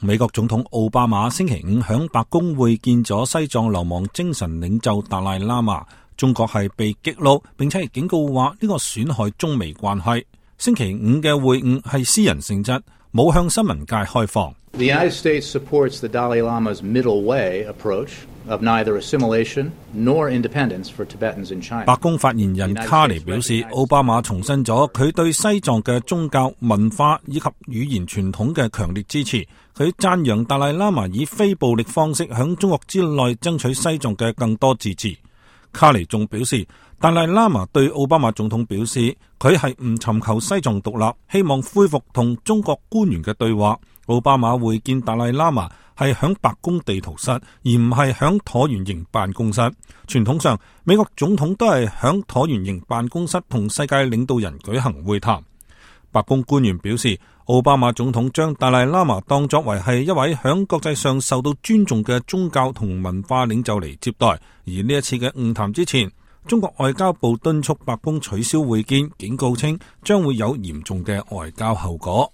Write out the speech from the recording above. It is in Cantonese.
美國總統奧巴馬星期五響白宮會見咗西藏流亡精神領袖達賴喇嘛，中國係被激怒，並且係警告話呢個損害中美關係。星期五嘅會晤係私人性質，冇向新聞界開放。The United States supports the Dalai Lama's middle way approach of neither assimilation nor independence for Tibetans in China. 白宮發言人卡尼表示，奧巴馬重申咗佢對西藏嘅宗教、文化以及語言傳統嘅強烈支持。佢讚揚達賴喇嘛以非暴力方式響中國之內爭取西藏嘅更多自治。卡尼仲表示，達賴喇嘛對奧巴馬總統表示，佢係唔尋求西藏獨立，希望恢復同中國官員嘅對話。奧巴馬會見達賴喇嘛係響白宮地圖室，而唔係響橢圓形辦公室。傳統上，美國總統都係響橢圓形辦公室同世界領導人舉行會談。白宮官員表示，奧巴馬總統將達賴喇嘛當作為係一位響國際上受到尊重嘅宗教同文化領袖嚟接待。而呢一次嘅晤談之前，中國外交部敦促白宮取消會見，警告稱將會有嚴重嘅外交後果。